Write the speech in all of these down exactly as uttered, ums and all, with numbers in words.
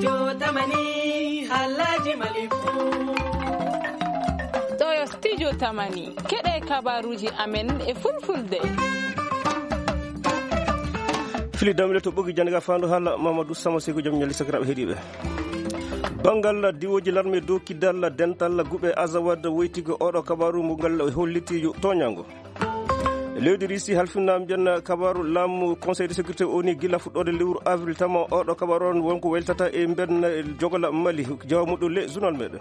Jotamani, Alhaji Malibu. Ɗo yo Studio Tamani. Keɗe kabaruji amen e fulfulde. Fili damle to ɓogi jannga fandu hala Mamadou Sama Seyko jom ñalli sakiraɓe heɗiɓe. Bangal diwoji larme dow kidal dental guɓe Azawad woytigo oɗo kabaru mo ngal holliti toñango. Lewdi Risi halfinaa mbiyen kabaru laamu Conseil de sécurité O N U gila fuɗɗoode lewru avril tama oɗo kabaru on wonko weltata e mbiyen jogola Mali jawa muɗum le journal meɗen.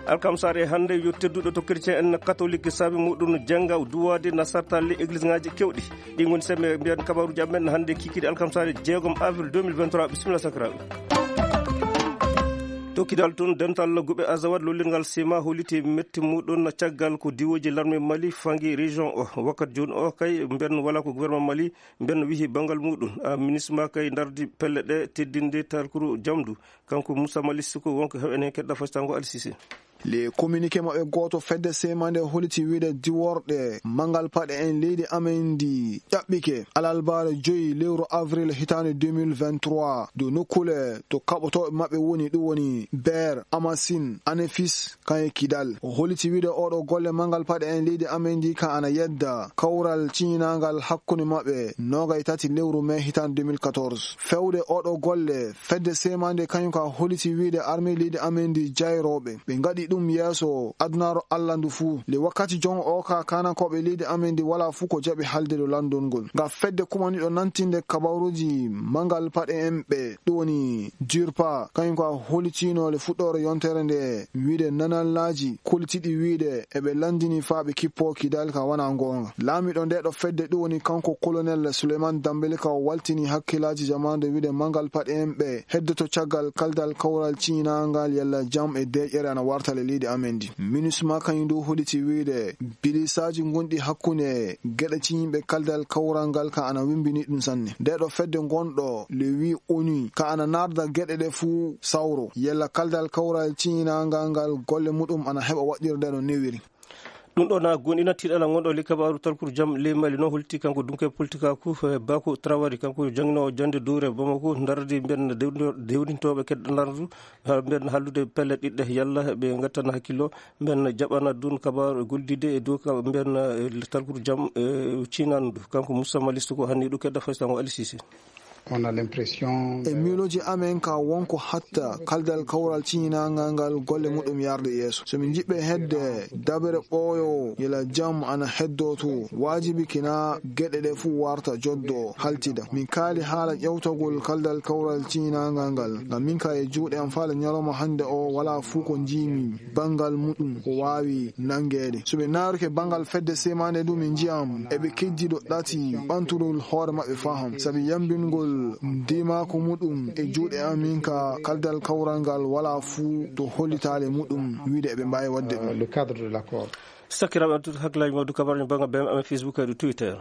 Alkamsare hannde yo tedduɗo to chrétien en catholique saabi muɗum jannga duwaade na sartalle église ngaji kewɗi. Ɗi ngoni semme mbiyen kabaruji amen hannde kikiɗe alkamsare jeegom avril deux mille vingt-trois. Bisimilla sakiraaɓe. To kidal tun dental guɓe Azawad lollirgal sima holiti metti muɗum caggal ko diwoji larme Mali fangi région o. Wakkati joni o kay mben wala ko gouvernement Mali mben wihi bangal muɗum. A ministre ma kay dardi pelle ɗe teddinde talkuru jamdu. Kanko Moussa Mali Siko wonko heɓen hen keɗɗa fasitango Alsisi. Le communiqué maɓɓe gooto fedde semande holiti wiide diworɗe mangal paɗe en leydi amen ndi ƴaɓɓike alalbaare joyi lewru avril hitaande deux mille vingt-trois dow nokkule to kaɓotooɓe maɓɓe woni, ɗum woni Beer, Amasin, Anefis, kan e Kidal. O holiti wiide oɗo golle mangal paɗe en leydi amen ndi kan ana yedda kawral ciñinangal hakkunde maɓɓe noogay tati lewru mai hitaande deux mille quatorze. Fewde oɗo golle fedde semande kañum ka holiti wiide armée leydi amen ndi jayrooɓe ɓe ngaɗi ɗum yeeso adunaaru Allah ndu fuu. Le wakkati jon o ka kanankooɓe leydi amen ndi wala fuu ko jaɓi halde ɗo landol ngol. Nga fedde kumaniɗo nantinde kabaruji mangal paɗe en ɓe ɗum woni Durpa, kañum ko a holitino le fuɗɗoore yontere nde wiide nanallaaji kolitiɗi wiide eɓe landini faa ɓe kippo kidal ka wana ngoonga. Laamiɗo nde ɗo fedde ɗum woni kanko colonel Souleymane Dambélé ka o waltini hakkilaaji jamaande wiide mangal paɗe en ɓe heddoto caggal kaldal kawral ciñinangal yalla jam e deeƴere ana warta le leydi amen ndi. Minusma kañum ndu holiti wiide bilisaaji gonɗi hakkunde geɗe ciñiiɓe kaldal kawral ngal ka ana wimbini ɗum sanne. Nde ɗo fedde gonɗo le wi O N U ka ana narda geɗe ɗe fuu sawro yalla kaldal kawral ciñinangal ngal golle muɗum ana heɓa waɗirde no newiri. Ɗum ɗo na gonɗina tiiɗala gonɗo le kabaru talkuru jam ley Mali no holti kanko dunke politika ku, eh, Bako Traoré, kanko janginoowo jande dowre Bamako, dardi mben dewndo-, dewrintooɓe keddanardu, ha mben hallude pelle ɗiɗɗe yalla ɓe ngattana hakkillo, mben jaɓana dun kabaru goldide e dow ka mben, eh, talkuru jam, eh, cinandu. Kanko Moussa Malisto ko hanni ɗo kedda faysango Alisisi. On a l'impression E miilooji amen ka wonko hatta kaldal kawral ciñinangal ngal golle muɗum yarde yeeso. So min njiɗɓe hedde dabere ɓooyo yela jam ana heddo to, waajibi kina geɗe ɗe fuu warta joddo haltida. Min kaali haala ƴewtagol kaldal kawral ciñinangal ngal. Ngam min ka e juuɗe am faale ñalawma hannde o wala fuu ko njiimi bangal muɗum ko waawi nangeede. So ɓe naaruke bangal fedde semande ɗum e njiyam eɓe keddi ɗo ɗati ɓanturol hoore maɓɓe faham. Sabi yambingol ndimaako muɗum e juuɗe amin ka kaldal kawral ngal wala fuu to hollitaale muɗum wiide eɓe mbaawi waɗde ɗum. Le cadre de l'accord. Sakiraaɓe addude hakkilaaji mawɗi kabaruji bannga B M M e Facebook e Twitter.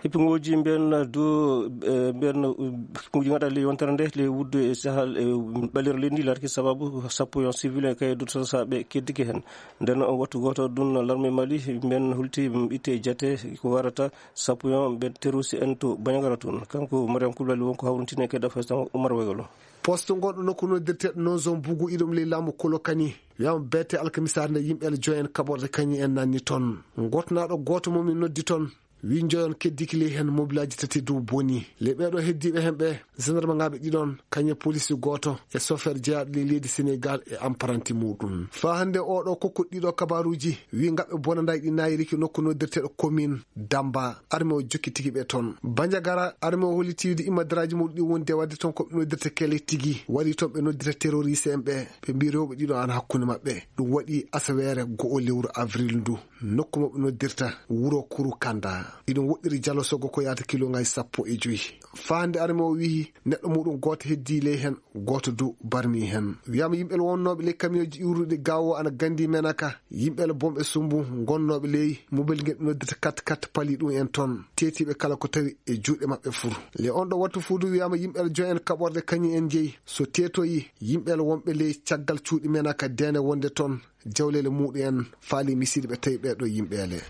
Hippiŋooji mbiyen du, eh, mbiyen, uh, hippiŋooji ngaɗa ley yontere nde, ley wuddu e sahal e ɓalere leydi ndi, larki sababu sappo yon civil en kay dutata sa ɓe keddike hen. Nden on wattu gooto ɗum larme Mali, mbiyen hulti, mm, itte e jate ko warata sappo yon ɓe terroriste en to Bandiagara toon. Kanko Mariam Koulibaly wonko hawrintine ke dafa tan Oumar Wegolo. Poste gonɗo nokku noddirteɗo non zone Bougou Iɗom ley laamu Kolokani. Wiyama beete alkamisaare nde yimɓe ele joyen kaɓorde kañi en nanni toon. Gotnaɗo gooto mo min noddi toon. Wi joyon keddiki ley hen mobilaji tati dow boni. Ley ɓeɗo heddiɓe hen ɓe, gendarmeŋaɓe ɗiɗon, kañe police gooto, e chauffeur jeyaɗo ley leydi Sénégal e apprenti muɗum. Faa hannde oɗo kokkuɗo ɗiɗo kabaruji, wi ngaɓe bonanday ɗi nayiriki nokku noddirteɗo commune Damba. Arme o jokkitiki ɓe toon. Bandiagara, arme o holliti wiide immadaraji muɗum ɗi wonde wadde toon ko ɓe noddirta kele tigi. Waɗi toon ɓe noddirta terroriste en ɓe. Ɓe mbi rewɓe ɗiɗo ana hakkunde maɓɓe. Ɗum waɗi asaweere go'o lewru avril ndu. Nokku mo ɓe noddirta wuro Kuru Kanda. Iɗum woɗɗiri jalo sogo ko yaata kilomètre sappo e joyi. Faa hannde arme o wiyi neɗɗo muɗum gooto heddi ley hen, gooto du barmi hen. Wiyama yimɓe wonnooɓe ley kamiyooji iwruɗi gawo ana gandi menaka. Yimɓe bonɓe sumbu gonnooɓe ley mobel ngel ɓe noddirta kat kat pali ɗum en toon. Tetiɓe kala ko tawi e juuɗe maɓɓe fuu. Ley on ɗo wattu fuu du wiyama yimɓe joy en kaɓorde kañum en jeyi. So tetoyi yimɓe wonɓe ley caggal cuuɗi menaka dende wonde toon. Jawleele muɗum en faali misiiɗe ɓe tawi ɓeɗo yimɓeele.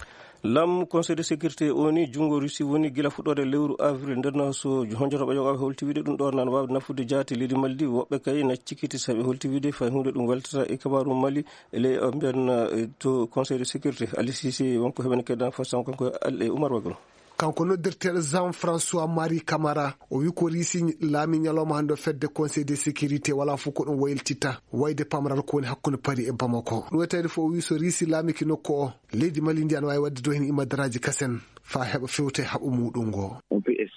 Laamu Conseil de sécurité o ni junngo Russie woni gila fuɗɗoode lewru avril nden, so honjotoɓe yoga holti wiide ɗum ɗo nan waawde nafude jaati leydi Maldi. Woɓɓe kay na cikiti saɓe holti wiide fay hunde ɗum weltata e kabaru Mali e ley mbiyan to Conseil de sécurité. Ali Sisi wonko heɓen keddan fo sango kanko e Umar Waglo. Kanko noddirteeɗo Jean François Marie Camara, o wi ko Risi laami ñalawma hannde o fedde Conseil de sécurité wala fof ko ɗum wayltitta wayde pamral ko woni hakkunde Paris e Bamako. Ɗum e tawde fof o wi so Risi laamiki nokku o, leydi Mali ndi ana waawi waɗde do heen imadaraaji kasen faa heɓa fewte haɓo muɗum ngo.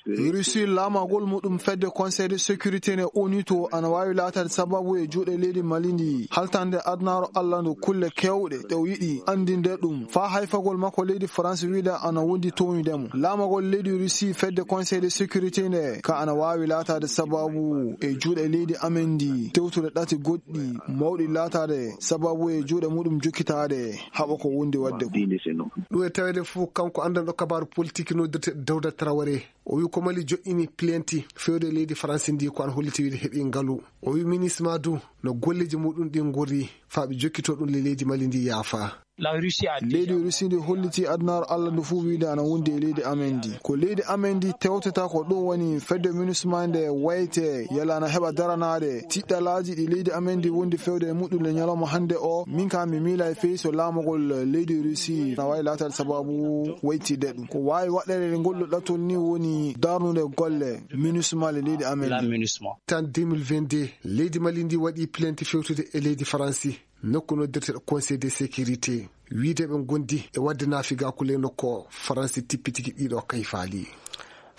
Russie laamagol muɗum fedde Conseil de sécurité ne O N U to ana waawi laataade sababu e juuɗe leydi Mali ndi haltande adunaaru Allah ndu kulle keewɗe ɗe o yiɗi anndinde ɗum faa hayfagol makko leydi France wiide ana wondi townude mo. Laamagol leydi Russie fedde Conseil de sécurité nde ka ana waawi laataade sababu e juuɗe leydi amen ndi tewtude ɗati goɗɗi mawɗi laataade sababu e juuɗe muɗum jokkitaade haɓa ko wondi waɗde ko. Ɗum e taweede fof kanko anndanɗo kabaaru politique noddirteeɗo Dawda Traoré. O wi ko Mali joƴƴini plainte fewde leydi France ndi ko an holliti wiide heɓi ngalu. O wi MINUSMA du no golleji muɗum ɗi ngorri faa ɓe jokkito ɗum le leydi Mali ndi yaafa. Leydi Russie ndi holliti adunaaru Allah ndu fof wiide ana wondi e leydi amen ndi. Ko leydi amen ndi tewtata ko ɗum woni fedde MINUSMA nde wayte yalla ana heɓa daranaade tiɗɗalaaji ɗi leydi amen ndi wondi fewde e muɗum le ñalawma hannde o. Min kam mi miila e feyi so laamagol leydi Russie na waawi laataade sababu waytidde ɗum. Ko waawi waɗeede ngol ɗo ɗattol ni woni darnude golle MINUSMA le leydi amen ndi. Tan deux mille vingt-deux, leydi Mali ndi waɗi plainte fewtude e leydi Faransi, nokku noddirteeɗo Conseil de sécurité. Wiide ɓe ngondi e waɗde naafigaaku ley nokku o, Faransi tippitiki ɗiɗo kayfaali.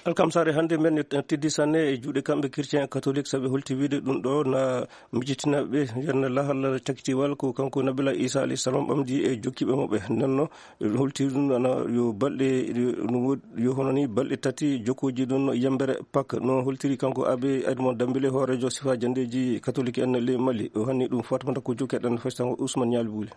Alkamsaare hannde men teddi sanne e juuɗe kamɓe chrétien catholique, saɓe holti wiide ɗum ɗo na mijitina ɓe yen lahal cakitiwal ko kanko Nabila Isa alayhi salam ɓamdi e jokkiiɓe maɓɓe. Nden no holti ɗum ana yo balɗe, no woodi, yo hono ni balɗe tati jokkooji ɗum yembere Pâques. No holtiri kanko Abbé Edmond Dambélé, hooreejo sifa janndeeji catholique en ley Mali. O hanni ɗum Fatmata Kojo, keɗen faysango Ousmane Ñaali Buuli.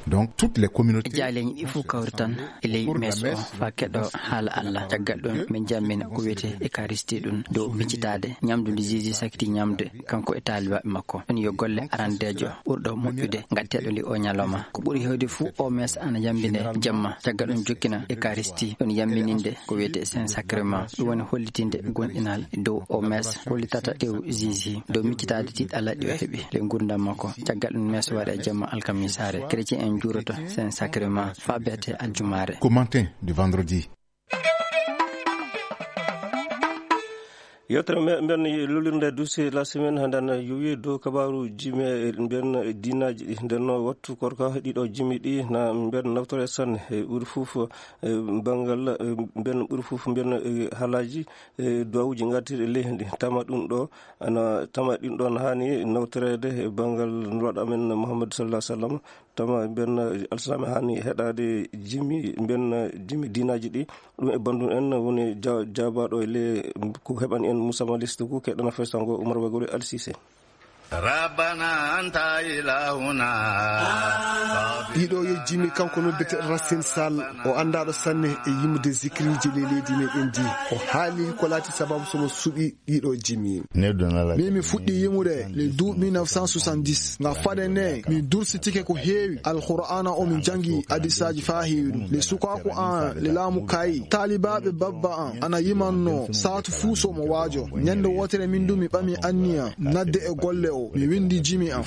Donc, toutes les communautés. Jaaleeji ɗi fof kawri tan e ley mees o faa keɗo haala Allah. Caggal ɗum, min jammina ko wiyetee Eucharistie ɗum dow miccitaade ñamdu ndi Jésus sakiti ñamde kanko e taalibaaɓe makko. Ɗum yo golle arandeejo ɓurɗo moƴƴude ngatteeɗo ndi o ñalawma. Ko ɓuri heewde fof o mees ana yambine jamma. Caggal ɗum jokkina Eucharistie ɗum yambininde ko wiyetee Saint Sacrement. Ɗum woni hollitinde gomɗinal dow o mees hollitata tew Jésus dow miccitaade tiɗɗalaaji ɗi o heɓi ley nguurndam makko. Caggal ɗum mees waɗa e jamma alkamisaare. Chrétien en juuroto Saint Sacrement faa beete aljumaare. Commentaire du vendredi. Yewtere me-, mbiyen lolirde dossier la semaine hannde ana yowi dow kabaaru jimi e mbiyen diinaaji ɗi. Nden no wattu korka ɗiɗo jimi ɗi na mbiyen nawtore sanne e ɓuri fof, e banngal, e mbiyen ɓuri fof mbiyen, e haalaaji, e duwawuuji ngartirɗi ley heen ɗi. Tama ɗum ɗo ana tama ɗin ɗoon haani nawtoreede e banngal nulaaɗo amen Muhammad sallallahu alaihi wasallam. Tama mbiyen alsalaam haani heɗaade jimi, mbiyen jimi diinaaji ɗi. Ɗum e banndum en woni ja-, jaabaaɗo e le ko heɓani en Moussa Maliste ko keɗana fesango Umar Wagori Al Cissé. Rabbana anta ilahuna. Ɗiɗo yo jimi kanko noddete Racine Sall, o anndaɗo sanne e yimude zikriiji le leydi meɗen ndi. O haali ko laati sababu somo suɓi ɗiɗo jimi. Min mi fuɗɗi yimude le douze mille neuf cent soixante-dix. Nga faade ne, mi dursitike ko heewi. Alqur'aana o mi jangi hadisaaji faa heewi ɗum. Le sukaaku an, le laamu kayi. Taalibaaɓe babba an, ana yimanno saatu fuu so mo waajo. Ñande wootere min du mi ɓami anniya, nadde e golle o, mi windi jimi am.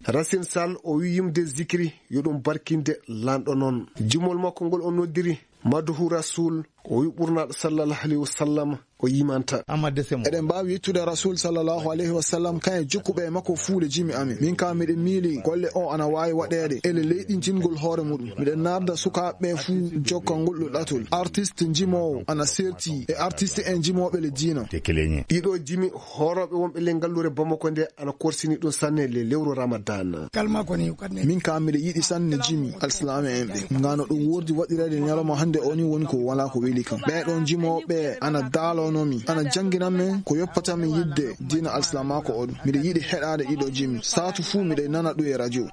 Racine Sall o wi yimde zikri, yo ɗum barkinde lanɗo non. Jimol makko ngol o noddiri, Madhu Rasul, o wi ɓurnaɗo sallallahu alayhi wa sallam, o yimanta. Eɗen mbaawi yettude Rasul sallallahu alayhi wa sallam, kayen jokkuɓe e makko fuule jimi amin. Min ka miɗen miili golle o ana waawi waɗeede ele leyɗi jingol hoore muɗum. Miɗen narda sukaaɓe ɓe fuu jokkangol ɗo ɗatol. Artiste jimoowo ana serti e artiste en jimooɓe le diina. Ɗiɗo jimi hoorooɓe wonɓe le ngalluure Bamako nde ana korsini ɗum sanne le lewru Ramadan. Min ka miɗo yiɗi sanne jimi alsilaame en ɓe. Ngano ɗum wordi waɗireede ñalawma hannde o ni woni ko wala ko weli kam. Ɓee ɗon jimooɓe ana daalono mi, ana janngina men ko yoppata min yidde diina alsilaamaaku o ɗum. Miɗo yiɗi heɗaade ɗiɗo jimi. Saatu fuu miɗo nana ɗum e radio.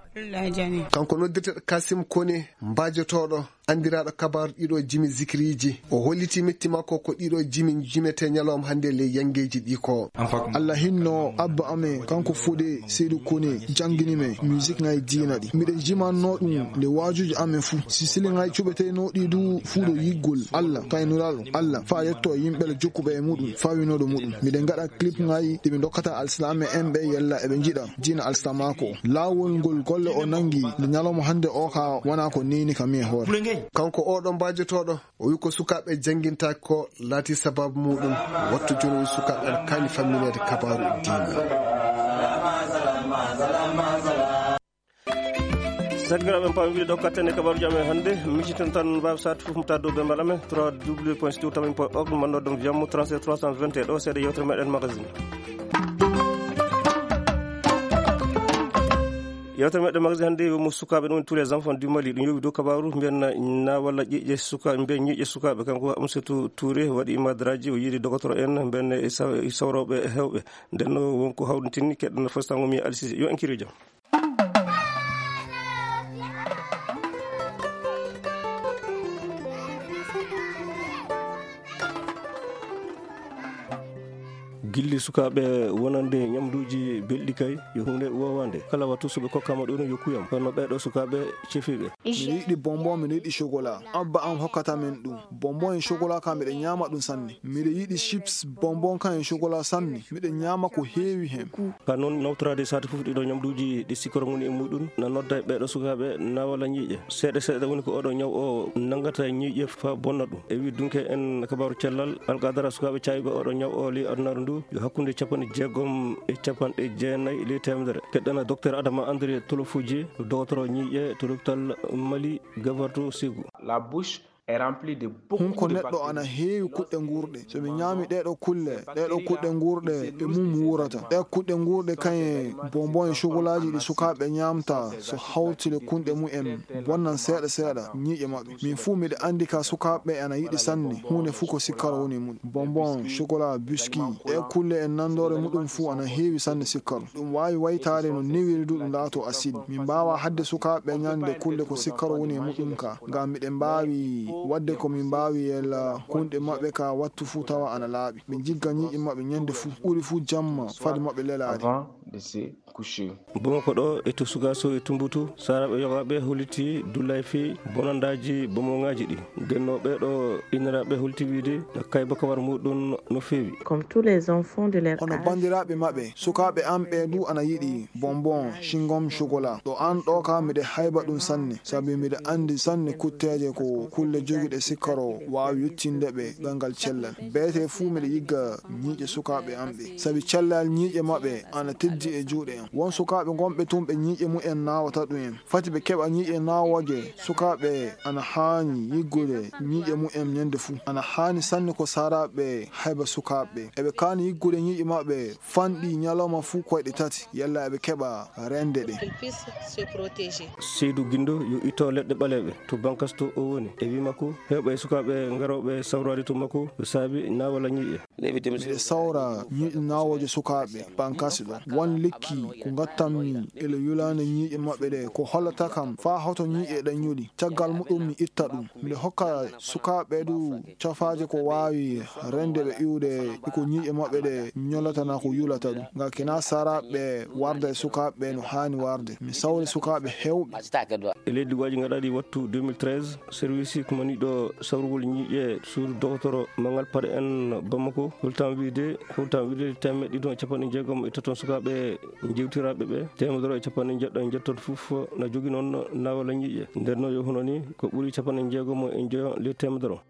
Kanko noddirteɗo Kasim Kone, mbaajotooɗo Anndiraaɗo kabaaru ɗiɗo jimi zikiriiji, o holliti metti makko ko ɗiɗo jimi jimete ñalawma hannde ley yangeeji ɗi ko. Allah hinno abba amen, kanko Fude Seydu Kone, janngini men musique ŋay diina ɗi. Miɗen jimanno ɗum nde waajuuji amen fuu. Si sili ŋay cuɓeteenoo ɗi du fuu ɗo yiggol Allah, kay Nulaaɗo Allah, faa yetto e yimɓe le jokkuɓe e muɗum, faa winooɗo muɗum. Miɗen ngaɗa clip ŋay ɗi ɓe ndokkata alsilaame en ɓe yella eɓe njiɗa diina alsilaamaaku o. Laawol ngol golle o nanngi nde ñalawma hannde o ka wona ko neeni ka mi e hoore. Kanko oɗo mbaajotooɗo, o wi ko sukaaɓe janngintaako ko laati sababu muɗum. Wattu jooni o wi sukaaɓe ana kaani fammineede kabaaru diina. Sakiraaɓe, en paami wiide ɗo katten e kabaaruuji amen hannde. Miciten tan mbaaw saatu fof mo tawa dow bembal amen, trois w point studio tamim point org, mannooɗo ɗum Viammo, trente-sept trois cent vingt et un. Ɗo seeɗa yewtere meɗen magazine. Yewtere meɗen magazine hannde yo mo sukaaɓe ɗum, tous les enfants du Mali. Ɗum yowi dow kabaaru mbiyen na walla ƴiƴe suka-, mbiyen ñiiƴe sukaaɓe. Kanko Amsatou Touré waɗi madraji, o yiidi dogotoro en, mbiyen e sa-, e sawrooɓe heewɓe. Nden no wonko hawrintini keɗɗo no fostango mi Alsisi. Yo en kiro jam. Gilli sukaaɓe wonande ñamduuji belɗi kay, yo huunde woowande. Kala wattu so ɓe kokkaama ɗum, yo kuyam. Kono ɓeeɗo sukaaɓe cefiiɓe. Miɗo yiɗi bonbon, miɗo yiɗi chocolat. Abba am hokkata men ɗum. Bonbon e chocolat ka miɗo ñaama ɗum sanne. Miɗo yiɗi chips, bonbon kan e chocolat sanne. Miɗo ñaama ko heewi hen. Ka noon nawtoraade saati fof ɗiɗo ñamduuji ɗi sikkoro ngoni e muɗum, na nodda e ɓeeɗo sukaaɓe na walla ñiiƴe. Seeɗa seeɗa woni ko oɗo ñaw o nanngata ñiiƴe faa bonna ɗum. E wi dunke en kabaaru cellal, alqadara sukaaɓe caawiiɓe oɗo ñaw o ley adunaaru ndu, yo hakkunde capanɗe jeegom e capanɗe jeenayi ley teemedere. Keɗɗana Docteur Adama André Tolofoji, dogotoro ñiiƴe to lopital Mali Gabarto Ségou. La bouche est remplie de beaucoup de bactéries. Hunko neɗɗo ana heewi kuɗɗe nguurɗe. So mi ñaami ɗeeɗo kulle, ɗeeɗo kuɗɗe nguurɗe e mum wuurata. Ɗee kuɗɗe nguurɗe kañe bonbon e chocolaaji ɗi sukaaɓe ñaamta, so hawti le kunɗe mumen, bonnan seeɗa seeɗa ñiiƴe maɓɓe. Min fuu miɗo anndi ka sukaaɓe ana yiɗi sanne, huunde fuu ko sikkaro woni e mum. Bonbon, chocolat, biscuit, ɗee kulle e nanndoore muɗum fuu ana heewi sanne sikkaro. Ɗum waawi waytaade no newiri du ɗum laatoo acide. Min mbaawaa haɗde sukaaɓe ñande kulle ko sikkaro woni e muɗum ka. Ngam miɗen mbaawi waɗde ko min mbaawi yella kunɗe maɓɓe ka wattu fuu tawa ana laaɓi. Ɓe njigga ñiiƴe maɓɓe ñande fuu, ɓuri fuu jamma fade maɓɓe lelaade. Avant de se coucher. Bamako ɗo e to Sugaso e Tumbutu, saaraaɓe yogaaɓe holliti dullay fii bonandaaji bomoŋaaji ɗi. Nden no ɓeeɗo inniraaɓe holti wiide kayba kawar muɗum no feewi. Comme tous les enfants de leur âge. Hono banndiraaɓe maɓɓe, sukaaɓe am ɓe du ana yiɗi bonbon, chewing-gum, chocolat. Ɗo an ɗo ka miɗo hayba ɗum sanne, sabi miɗo anndi sanne kutteeje ko kulle jogiiɗe sikkaro waawi yottinde ɓe ɓanngal cellal. Beete fuu miɗo yigga ñiiƴe sukaaɓe am ɓe, sabi cellal ñiiƴe maɓɓe ana teddi e juuɗe am. Won sukaaɓe gonɓe tun ɓe ñiiƴe mumen naawata ɗum en. Fati ɓe keɓa ñiiƴe naawooje, sukaaɓe ana haani yiggude ñiiƴe mumen ñande fuu. Ana haani sanne ko saaraaɓe hayba sukaaɓe ɓe. Eɓe kaani yiggude ñiiƴe maɓɓe fanɗi ñalawma fuu koyɗe tati, yalla eɓe keɓa rende ɗe. Qu'ils puissent se protéger. Seydou Guindo yo itto leɗɗe ɓaleeɓe to Bankas to o woni. E wi makko, heewɓe e sukaaɓe ngarooɓe sawraade to makko, ko saabi naawala ñiiƴe. Miɗo sawra ñiiƴe naawooje sukaaɓe Bankas ɗo. Won lekki ko ngattanmi e le yulaande ñiiƴe maɓɓe ɗe, ko hollata kam faa hoto ñiiƴe ɗen ñuli. Caggal muɗum mi itta ɗum. Miɗo hokka sukaaɓe du cafaaje ko waawi rende ɓe iwde e ko ñiiƴe maɓɓe ɗe ñolata naa ko yulata ɗum. Ngam kina saaraaɓe warda e sukaaɓe no haani warde. Mi sawri sukaaɓe heewɓe. E leydi waaji ngaɗaaɗi wattu deux mille treize, service kumaniiɗo sawrugol ñiiƴe suudu dogotoro Mangal Pare en Bamako, hultan wiide, hultan wiide teemeɗɗe ɗiɗi e capanɗe jeegom e tato sukaaɓe jewtiraaɓe ɓe, teemedere e capanɗe jeɗɗo e jeɗtato fof na jogi noon naawala ñiiƴe. Nden no yo hono ni ko ɓuri capanɗe jeegom e njoyo ley teemedere.